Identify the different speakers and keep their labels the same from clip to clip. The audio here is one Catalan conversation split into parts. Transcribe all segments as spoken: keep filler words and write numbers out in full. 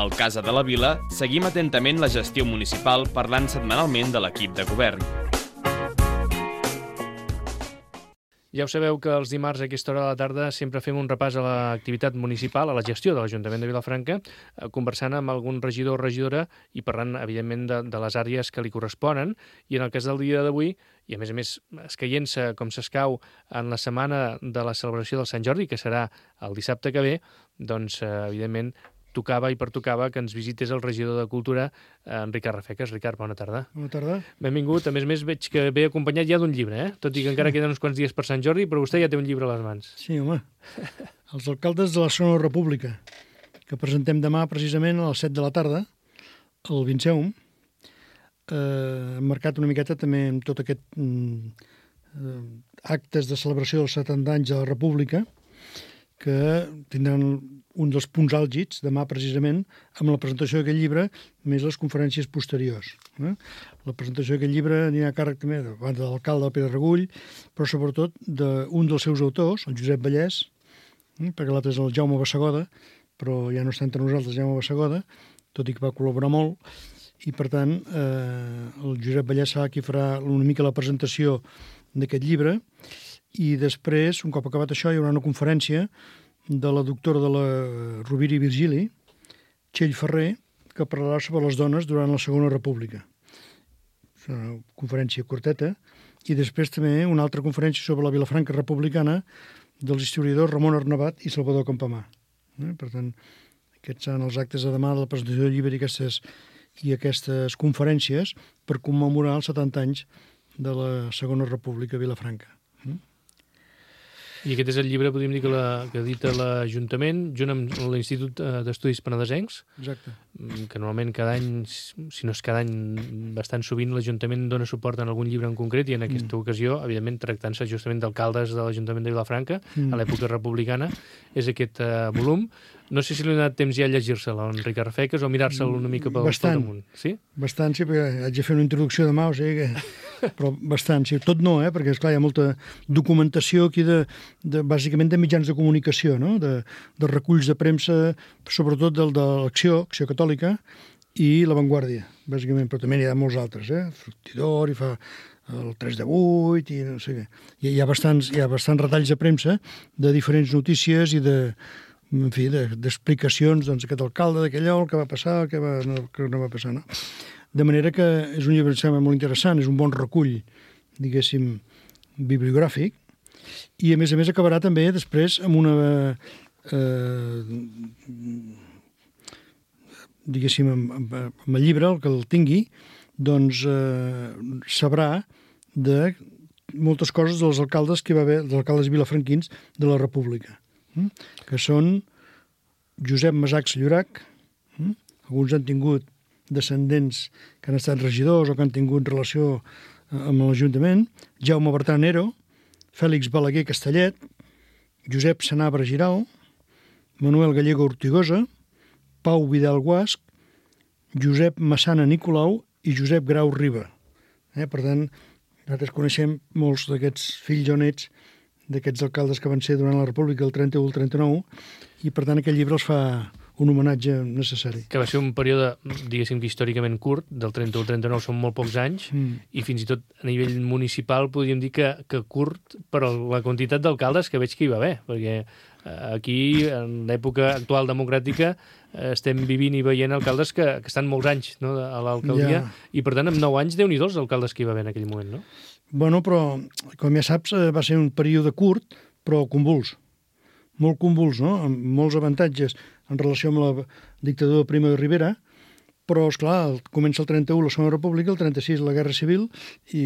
Speaker 1: Al Casa de la Vila seguim atentament la gestió municipal parlant setmanalment de l'equip de govern.
Speaker 2: Ja ho sabeu que els dimarts a aquesta hora de la tarda sempre fem un repàs a l'activitat municipal, a la gestió de l'Ajuntament de Vilafranca, conversant amb algun regidor o regidora i parlant, evidentment, de, de les àrees que li corresponen. I en el cas del dia d'avui, i a més a més escaient-se com s'escau en la setmana de la celebració del Sant Jordi, que serà el dissabte que ve, doncs, evidentment, tocava i pertocava que ens visités el regidor de Cultura, en Ricard Rafeques. Ricard, bona tarda.
Speaker 3: Bona tarda.
Speaker 2: Benvingut. A més a més, veig que ve acompanyat ja d'un llibre, eh? Tot i que encara queden uns quants dies per Sant Jordi, però vostè ja té un llibre a les mans.
Speaker 3: Sí, home. Els alcaldes de la Segona República, que presentem demà precisament a les set de la tarda, al Vinceum, eh, marcat una miqueta també amb tot aquest mm, eh, actes de celebració dels setanta anys de la República, que tindran un dels punts àlgids, demà precisament, amb la presentació d'aquest llibre, més les conferències posteriors. Eh? La presentació d'aquest llibre anirà a càrrec també de, de l'alcalde Pere Regull, però sobretot d'un dels seus autors, el Josep Vallès, eh? perquè l'altre és el Jaume Bassegoda, però ja no està entre nosaltres Jaume Bassegoda, tot i que va col·laborar molt, i per tant eh, el Josep Vallès serà qui farà una mica la presentació d'aquest llibre, i després, un cop acabat això, hi haurà una conferència de la doctora de la Rovira i Virgili, Txell Ferrer, que parlarà sobre les dones durant la Segona República. És una conferència curteta. I després també una altra conferència sobre la Vilafranca republicana dels historiadors Ramon Arnabat i Salvador Campamà. Eh? Per tant, aquests seran els actes de demà de la presentació del llibre i aquestes, i aquestes conferències per commemorar els setanta anys de la Segona República a Vilafranca. Eh?
Speaker 2: I aquest és el llibre, podríem dir, que, la, que edita l'Ajuntament, junt amb l'Institut d'Estudis Penedesencs.
Speaker 3: Exacte.
Speaker 2: Que normalment cada any, si no és cada any, bastant sovint l'Ajuntament dona suport en algun llibre en concret, i en aquesta mm. ocasió, evidentment, tractant-se justament d'alcaldes de l'Ajuntament de Vilafranca, mm. a l'època republicana, és aquest uh, volum. No sé si li ha donat temps ja a llegir-se'l, en Ricard Rafeques, o mirar-se'l una mica pel,
Speaker 3: bastant,
Speaker 2: pel damunt. Sí?
Speaker 3: Bastant, sí, perquè haig de fer una introducció demà, o sigui que... Però bastant, sí. Tot no, eh? Perquè, esclar, hi ha molta documentació aquí, de, de, bàsicament de mitjans de comunicació, no? De, de reculls de premsa, sobretot del, de l'Acció, Acció Catòlica, i La Vanguardia, bàsicament, però també n'hi ha molts altres, eh? Fructidor, i fa el tres de vuit, i no sé què. Hi, hi ha bastants, hi ha bastants retalls de premsa de diferents notícies i de... en fi, d'explicacions, doncs, aquest alcalde d'aquell el que va passar, el que, va, no, que no va passar, no? De manera que és un llibre, em sembla, molt interessant, és un bon recull, diguéssim, bibliogràfic, i a més a més acabarà també després amb una, eh, diguéssim, amb, amb, amb el llibre, el que el tingui, doncs eh, sabrà de moltes coses dels alcaldes que hi va haver, dels alcaldes vilafranquins de la República, que són Josep Masachs Llorac, alguns han tingut descendents que han estat regidors o que han tingut relació amb l'Ajuntament, Jaume Bertran Nero, Fèlix Balaguer Castellet, Josep Sanabra Giral, Manuel Gallego Ortigosa, Pau Vidal Guasc, Josep Massana Nicolau i Josep Grau Riba. Eh, per tant, nosaltres coneixem molts d'aquests fills o nets d'aquests alcaldes que van ser durant la República del trenta-u al trenta-nou, i per tant aquest llibre els fa un homenatge necessari.
Speaker 2: Que va ser un període, diguéssim que històricament curt, del trenta-u al trenta-nou són molt pocs anys, mm. i fins i tot a nivell municipal podríem dir que, que curt, però la quantitat d'alcaldes que veig que hi va haver, perquè aquí, en l'època actual democràtica, estem vivint i veient alcaldes que, que estan molts anys, no, a l'alcaldia, ja. I per tant, amb nou anys, Déu-n'hi-do els alcaldes que hi va haver en aquell moment, no?
Speaker 3: Bueno, però, com ja saps, va ser un període curt, però convuls. Molt convuls, no? Amb molts avantatges en relació amb la dictadura de Primo de Rivera, però, esclar, comença el trenta-u la Segona República, el trenta-sis la Guerra Civil, i,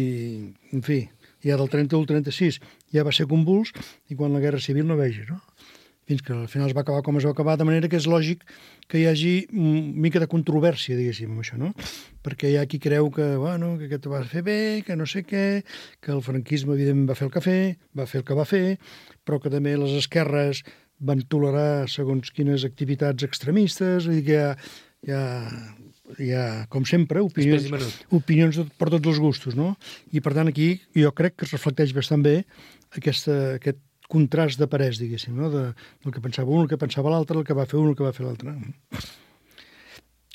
Speaker 3: en fi, ja del trenta-u al trenta-sis ja va ser convuls, i quan la Guerra Civil no vegi, no? Fins que al final es va acabar com es va acabar, de manera que és lògic que hi hagi una mica de controvèrsia, diguéssim, amb això, no? Perquè hi ha qui creu que, bueno, que aquest va fer bé, que no sé què, que el franquisme, evidentment, va fer el que fer, va fer el que va fer, però que també les esquerres van tolerar segons quines activitats extremistes, vull dir que hi ha, hi ha, hi ha com sempre, opinions, opinions per tots els gustos, no? I, per tant, aquí jo crec que es reflecteix bastant bé aquesta, aquest contrast de parers, diguéssim, no? De, del que pensava un, el que pensava l'altre, el que va fer un, el que va fer l'altre.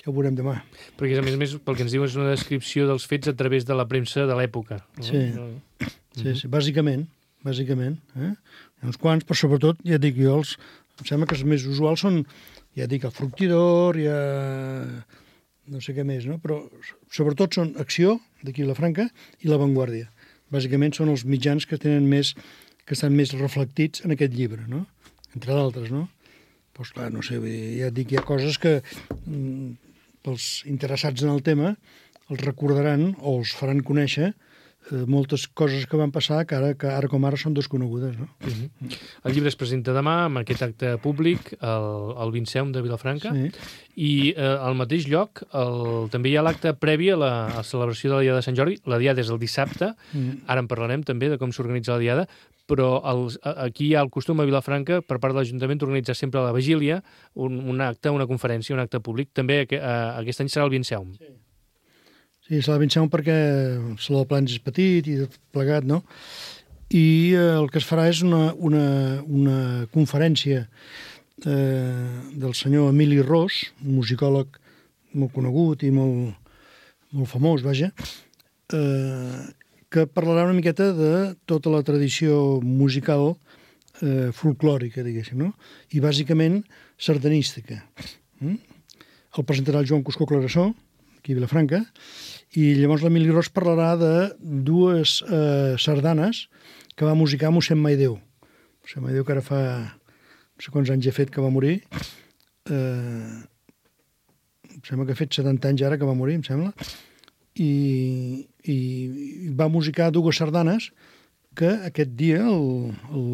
Speaker 3: Ja ho veurem demà.
Speaker 2: Perquè, a més a més, pel que ens diu, és una descripció dels fets a través de la premsa de l'època. No?
Speaker 3: Sí, sí, sí, bàsicament, bàsicament. Eh? Hi ha uns quants, però sobretot, ja dic jo, els, em sembla que els més usuals són, ja dic, el Fructidor, hi ha no sé què més, no? Però sobretot són Acció, d'aquí Vilafranca, i La Vanguardia. Bàsicament són els mitjans que tenen més, que estan més reflectits en aquest llibre, no? Entre d'altres, no? Doncs clar, no sé, ja dic, hi ha coses que mm, pels interessats en el tema els recordaran o els faran conèixer eh, moltes coses que van passar que ara, que ara com ara són desconegudes, no?
Speaker 2: Uh-huh. El llibre es presenta demà amb aquest acte públic al, al Vinceum de Vilafranca, sí. I eh, al mateix lloc el, també hi ha l'acte previ a la, a la celebració de la Diada de Sant Jordi. La Diada és el dissabte, mm. Ara en parlarem també de com s'organitza la Diada, però els, aquí hi ha el costum a Vilafranca per part de l'Ajuntament d'organitzar sempre a la vigília un, un acte, una conferència, un acte públic. També eh, aquest any serà el Vinceum.
Speaker 3: Sí. Sí, serà el Vinceum perquè el Saló de Plans és petit i tot plegat, no? I eh, el que es farà és una, una, una conferència eh, del senyor Emili Ros, un musicòleg molt conegut i molt, molt famós, vaja, eh, que parlarà una miqueta de tota la tradició musical eh, folclòrica, diguéssim, no? I bàsicament sardanística. Mm? El presentarà el Joan Cuscó Clarasó, aquí a Vilafranca, i llavors l'Emili Ros parlarà de dues eh, sardanes que va musicar mossèn Maideu. mossèn Maideu, que ara fa no sé quants anys ha fet que va morir. Eh, em sembla que ha fet setanta anys ara que va morir, em sembla. I, i va musicar dues sardanes que aquest dia el, el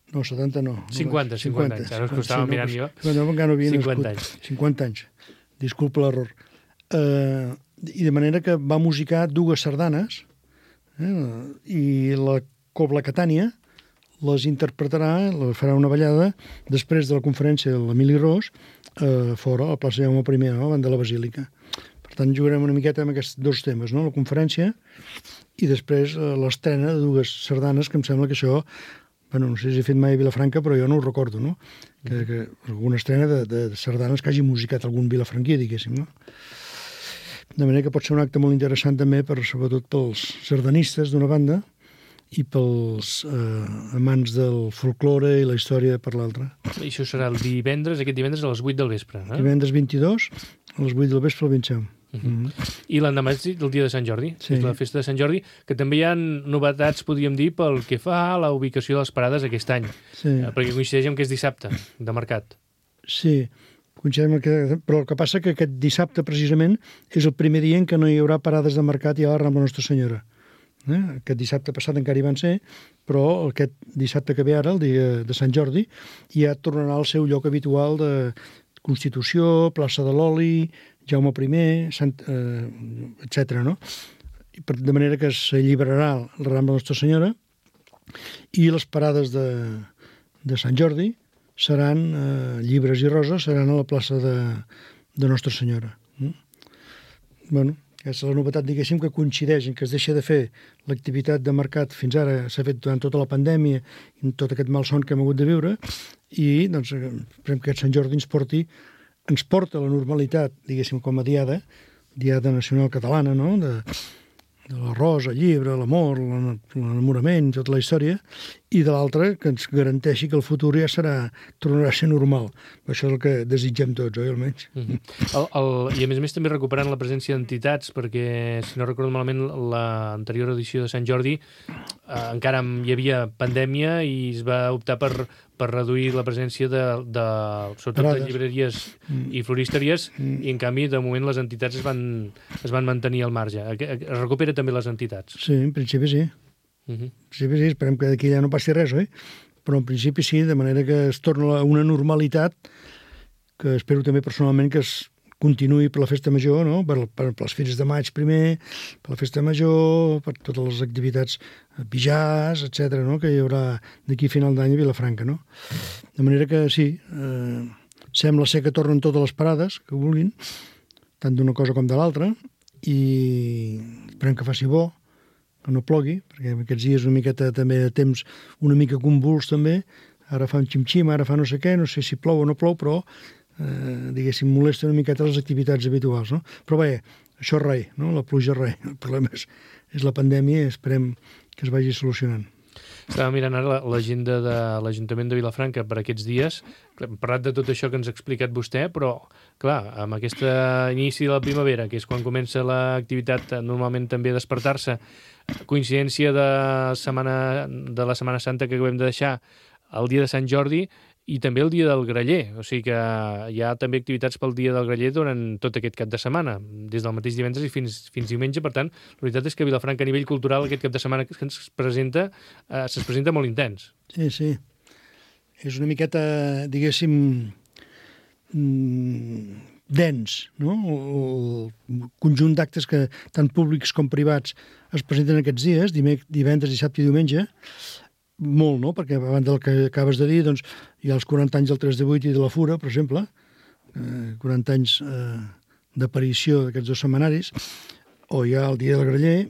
Speaker 3: no, setanta no.
Speaker 2: cinquanta, cinquanta, cinquanta anys. Ara us costava sí, mirant
Speaker 3: no,
Speaker 2: jo.
Speaker 3: No, encara no havia
Speaker 2: cinquanta
Speaker 3: nascut.
Speaker 2: anys.
Speaker 3: cinquanta anys. Disculpa l'error. Eh, I de manera que va musicar dues sardanes eh, i la Cobla Catània les interpretarà, les farà una ballada després de la conferència de l'Emili Ros eh, fora, a la plaça Jaume primer, no? Davant de la Basílica. Per tant, jugarem una miqueta amb aquests dos temes, no? La conferència i després eh, l'estrena de dues sardanes, que em sembla que això, bueno, no sé si he fet mai a Vilafranca, però jo no ho recordo, no? Que, que alguna estrena de, de sardanes que hagi musicat algun vilafranquí, diguéssim, no? De manera que pot ser un acte molt interessant també, per, sobretot pels sardanistes d'una banda i pels eh, amants del folklore i la història per l'altra.
Speaker 2: I això serà el divendres, aquest divendres a les vuit del vespre. Eh?
Speaker 3: Divendres vint-i-dos, a les vuit del vespre al Vinceum.
Speaker 2: Uh-huh. Mm-hmm. I l'endemà és el dia de Sant Jordi,
Speaker 3: sí.
Speaker 2: És la festa de Sant Jordi, que també hi ha novetats, podríem dir, pel que fa a la ubicació de les parades aquest any,
Speaker 3: sí.
Speaker 2: eh, perquè coincideix amb que és dissabte, de mercat.
Speaker 3: Sí, coincideix amb que... però el que passa que aquest dissabte, precisament, és el primer dia en què no hi haurà parades de mercat i a la Rambla Nostra Senyora. Eh? Aquest dissabte passat encara hi van ser, però aquest dissabte que ve ara, el dia de Sant Jordi, ja tornarà al seu lloc habitual de Constitució, plaça de l'Oli, Jaume primer, Sant, eh, etcètera. No? De manera que s'alliberarà la Rambla Nostra Senyora i les parades de, de Sant Jordi seran, eh, llibres i roses, seran a la plaça de, de Nostra Senyora. Mm? Bueno, aquesta és la novetat, diguéssim, que coincideix en que es deixa de fer l'activitat de mercat fins ara, s'ha fet durant tota la pandèmia i tot aquest malson que hem hagut de viure, i doncs, esperem que aquest Sant Jordi ens porti, ens porta la normalitat, diguéssim, com a diada, diada nacional catalana, no?, de, de l'arròs, el llibre, l'amor, l'enamorament, tota la història, i de l'altra, que ens garanteixi que el futur ja serà, tornarà a ser normal. Això és el que desitgem tots, oi, almenys?
Speaker 2: Mm-hmm. el, el, I a més a més també recuperant la presència d'entitats, perquè, si no recordo malament, l'anterior edició de Sant Jordi eh, encara hi havia pandèmia i es va optar per, per reduir la presència de, de sobretot de llibreries mm. i floristeries, mm. i en canvi, de moment, les entitats es van, es van mantenir al marge. Es recupera també les entitats.
Speaker 3: Sí, en principi sí.
Speaker 2: Uh-huh.
Speaker 3: En principi sí, esperem que d'aquí ja no passi res, oi? Però en principi sí, de manera que es torna a una normalitat que espero també personalment que es continuï per la festa major, no? per, per, per les fires de maig primer, per la festa major, per totes les activitats pijars, etcètera, no? Que hi haurà d'aquí a final d'any a Vilafranca. No? De manera que sí, eh, sembla ser que tornen totes les parades que vulguin, tant d'una cosa com de l'altra, i esperem que faci bo, que no plogui, perquè aquests dies una miqueta també de temps una mica convuls també, ara fa un xim-xim, ara fa no sé què, no sé si plou o no plou, però eh, diguéssim, molesta una miqueta les activitats habituals, no? Però bé, això res, no? La pluja res. El problema és, és la pandèmia i esperem que es vagi solucionant.
Speaker 2: Estava mirant ara l'agenda de l'Ajuntament de Vilafranca per aquests dies. Hem parlat de tot això que ens ha explicat vostè, però, clar, amb aquest inici de la primavera, que és quan comença l'activitat normalment també a despertar-se, coincidència de, setmana, de la Setmana Santa que acabem de deixar, el dia de Sant Jordi i també el dia del Graller. O sigui que hi ha també activitats pel dia del Graller durant tot aquest cap de setmana, des del mateix divendres i fins, fins diumenge. Per tant, la veritat és que Vilafranca a nivell cultural aquest cap de setmana que ens presenta, eh, se'ns presenta molt intens.
Speaker 3: Sí, sí. És una miqueta, diguéssim, dens, no? El conjunt d'actes que tant públics com privats es presenten aquests dies, divendres, dissabte i diumenge, molt, no? Perquè abans del que acabes de dir, doncs, hi ha els quaranta anys del tres de vuit i de la Fura, per exemple, eh, quaranta anys eh, d'aparició d'aquests dos setmanaris, o hi ha el dia del Graller,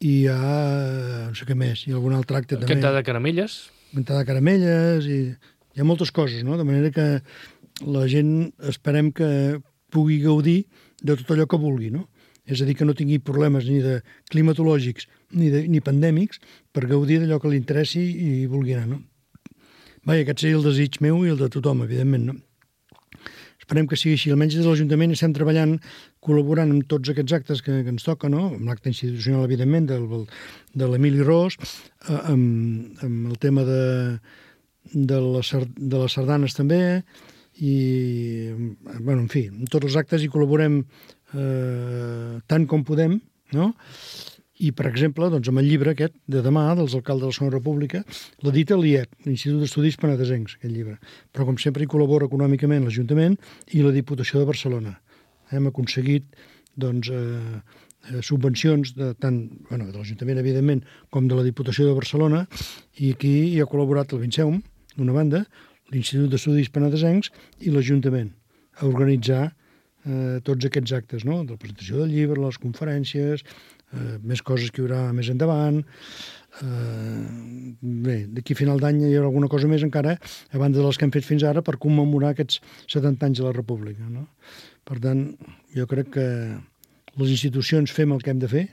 Speaker 3: i hi ha, eh, no sé què més, hi ha algun altre acte també.
Speaker 2: Cantada de caramelles.
Speaker 3: Cantada de caramelles, i hi ha moltes coses, no? De manera que la gent esperem que pugui gaudir de tot allò que vulgui, no? És a dir, que no tingui problemes ni de climatològics ni, de, ni pandèmics per gaudir d'allò que li interessi i vulgui anar, no? Vaja, aquest seria el desig meu i el de tothom, evidentment, no? Esperem que sigui així. Almenys des de l'Ajuntament estem treballant, col·laborant amb tots aquests actes que, que ens toca, no? Amb l'acte institucional, evidentment, del, de l'Emili Ros, eh, amb, amb el tema de, de, la, de les sardanes també, i, bueno, en fi, en tots els actes hi col·laborem eh, tant com podem, no? I, per exemple, doncs, amb el llibre aquest de demà, dels alcaldes de la Segona República, l'edita l'I E P, l'Institut d'Estudis Penedesencs, aquest llibre. Però, com sempre, hi col·labora econòmicament l'Ajuntament i la Diputació de Barcelona. Hem aconseguit, doncs, eh, subvencions de tant, bueno, de l'Ajuntament, evidentment, com de la Diputació de Barcelona, i aquí hi ha col·laborat el Vinceum, d'una banda, l'Institut d'Estudis Penedesencs i l'Ajuntament, a organitzar eh, tots aquests actes, no? De la presentació del llibre, les conferències, eh, més coses que hi haurà més endavant. Eh, bé, d'aquí a final d'any hi haurà alguna cosa més encara, a banda de les que hem fet fins ara, per commemorar aquests setanta anys de la República, no? Per tant, jo crec que les institucions fem el que hem de fer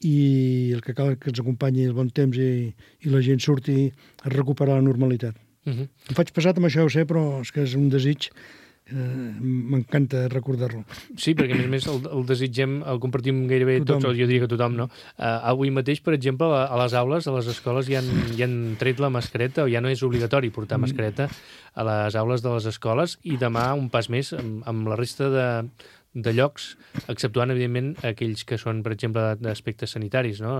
Speaker 3: i el que cal que ens acompanyi el bon temps i, i la gent surti a recuperar la normalitat. Uh -huh. Em faig pesat amb això, ho sé, però és que és un desig, eh, m'encanta recordar-lo.
Speaker 2: Sí, perquè a més a més el, el desitgem, el compartim gairebé tothom. Tots, o jo diria que tothom, no? Uh, avui mateix, per exemple, a, a les aules, a les escoles, ja han, ja han tret la mascareta, o ja no és obligatori portar mm. mascareta a les aules de les escoles, i demà un pas més amb, amb la resta de, de llocs, exceptuant, evidentment, aquells que són, per exemple, d'aspectes sanitaris, no?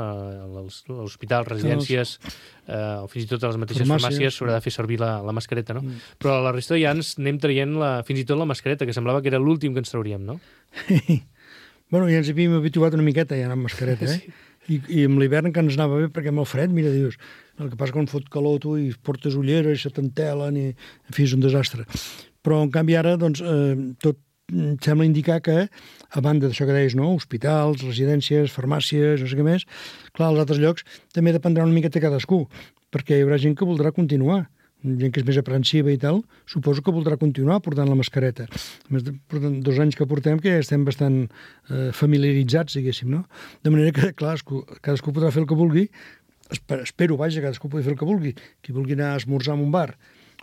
Speaker 2: L'hospital, residències, eh, o fins i tot a les mateixes farmàcies s'haurà de fer servir la, la mascareta, no? Mm. Però a la resta ja ens anem traient la, fins i tot la mascareta, que semblava que era l'últim que ens trauríem, no?
Speaker 3: Bueno, ja ens havíem habituat una miqueta ja amb mascareta, eh? Sí. I, i amb l'hivern que ens anava bé, perquè amb el fred, mira, dius, el que passa quan fot calor tu i portes ulleres, se t'entelen, i en fi, és un desastre. Però, en canvi, ara, doncs, eh, tot sembla indicar que, a banda d'això que deies, no? Hospitals, residències, farmàcies, no sé què més, clar, als altres llocs també dependrà una miqueta cadascú, perquè hi haurà gent que voldrà continuar, gent que és més aprensiva i tal, suposo que voldrà continuar portant la mascareta. A més, portant dos anys que portem que ja estem bastant eh, familiaritzats, diguéssim, no? De manera que, clar, cadascú podrà fer el que vulgui, espero, vaja, cadascú pugui fer el que vulgui, qui vulgui anar a esmorzar en un bar,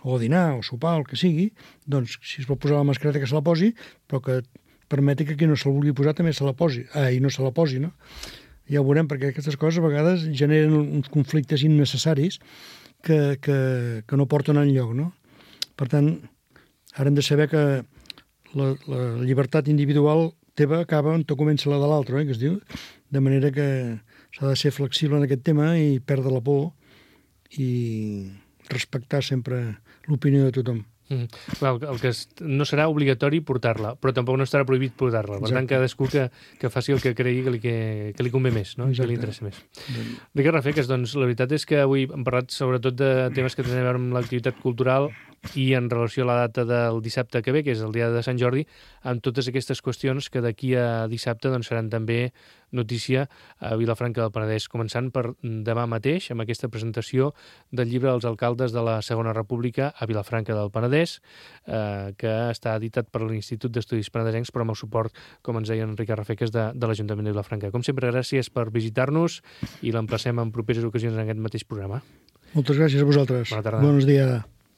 Speaker 3: o dinar, o sopar, el que sigui, doncs, si es vol posar la mascareta, que se la posi, però que permeti que qui no se'l vulgui posar també se la posi, ah, i no se la posi, no? Ja ho veurem, perquè aquestes coses a vegades generen uns conflictes innecessaris que, que, que no porten enlloc, no? Per tant, ara hem de saber que la, la llibertat individual teva acaba on te comença la de l'altre, eh, que es diu, de manera que s'ha de ser flexible en aquest tema i perdre la por i respectar sempre l'opinió de tothom.
Speaker 2: Mm. Well, el que es, no serà obligatori portar-la, però tampoc no estarà prohibit portar-la. Per tant, cadascú que, que faci el que cregui que li, que, que li convé més, no? Que li interessa més. Ricard Rafeques, doncs la veritat és que avui hem parlat sobretot de temes que tenen a veure amb l'activitat cultural, i en relació a la data del dissabte que ve, que és el dia de Sant Jordi, amb totes aquestes qüestions que d'aquí a dissabte doncs, seran també notícia a Vilafranca del Penedès, començant per demà mateix amb aquesta presentació del llibre dels alcaldes de la Segona República a Vilafranca del Penedès, eh, que està editat per l'Institut d'Estudis Penedesencs, però amb el suport, com ens deia Enric Arrafeques, de, de l'Ajuntament de Vilafranca. Com sempre, gràcies per visitar-nos i l'emplacem en properes ocasions en aquest mateix programa.
Speaker 3: Moltes gràcies a vosaltres.
Speaker 2: Bona tarda.
Speaker 3: Bons dies.